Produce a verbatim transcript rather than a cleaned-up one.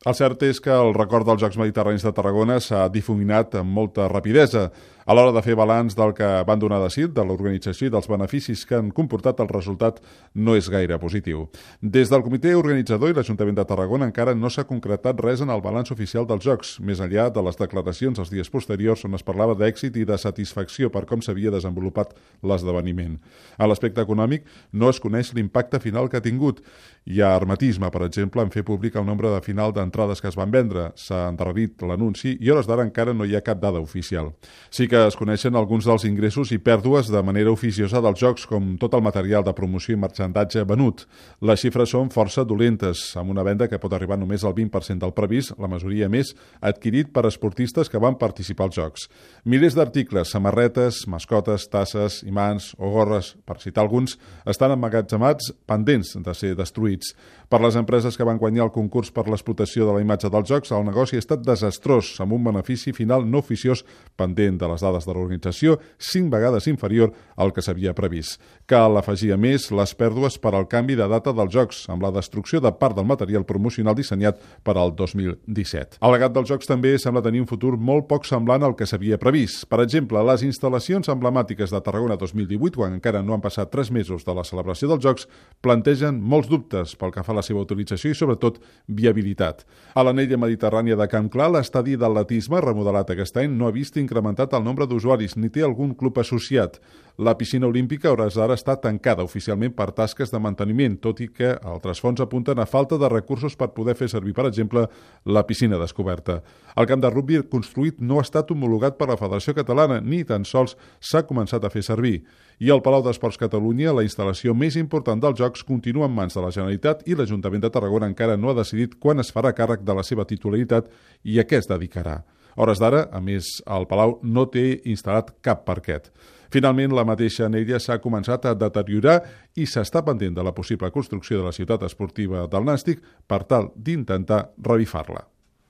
El cert és que el record dels Jocs Mediterranis de Tarragona s'ha difuminat amb molta rapidesa. A l'hora de fer balanç del que van donar de si, de l'organització i dels beneficis que han comportat, el resultat no és gaire positiu. Des del comitè organitzador i l'Ajuntament de Tarragona encara no s'ha concretat res en el balanç oficial dels Jocs, més enllà de les declaracions els dies posteriors on es parlava d'èxit i de satisfacció per com s'havia desenvolupat l'esdeveniment. A l'aspecte econòmic no es coneix l'impacte final que ha tingut. Hi ha hermetisme, per exemple, en fer públic el nombre de final d'entrades que es van vendre. S'ha endarrerit l'anunci i a hores d'ara encara no hi ha cap dada oficial. Sí que es coneixen alguns dels ingressos i pèrdues de manera oficiosa dels jocs, com tot el material de promoció i marxandatge venut. Les xifres són força dolentes, amb una venda que pot arribar només al vint per cent del previst, la majoria més adquirit per esportistes que van participar als jocs. Milers d'articles, samarretes, mascotes, tasses, imants o gorres, per citar alguns, estan emmagatzemats pendents de ser destruïts. Per les empreses que van guanyar el concurs per l'explotació de la imatge dels jocs, el negoci ha estat desastrós, amb un benefici final no oficiós pendent de les dades de l'organització, cinc vegades inferior al que s'havia previst. Cal afegir a més les pèrdues per al canvi de data dels jocs, amb la destrucció de part del material promocional dissenyat per al dos mil disset. El legat dels jocs també sembla tenir un futur molt poc semblant al que s'havia previst. Per exemple, les instal·lacions emblemàtiques de Tarragona dos mil divuit, quan encara no han passat tres mesos de la celebració dels jocs, plantegen molts dubtes pel que fa a la seva utilització i, sobretot, viabilitat. A l'anella mediterrània de Camp Clar, l'estadi d'atletisme, remodelat aquest any, no ha vist incrementat el nombre d'usuaris ni té algun club associat. La piscina olímpica a hores d'ara està tancada oficialment per tasques de manteniment, tot i que altres fonts apunten a falta de recursos per poder fer servir, per exemple, la piscina descoberta. El camp de rugby construït no ha estat homologat per la Federació Catalana, ni tan sols s'ha començat a fer servir. I al Palau d'Esports Catalunya, la instal·lació més important dels Jocs continua en mans de la Generalitat i l'Ajuntament de Tarragona encara no ha decidit quan es farà càrrec de la seva titularitat i a què es dedicarà. A hores d'ara, a més, el Palau no té instal·lat cap parquet. Finalment, la mateixa anella s'ha començat a deteriorar i s'està pendent de la possible construcció de la ciutat esportiva del Nàstic per tal d'intentar revifar-la.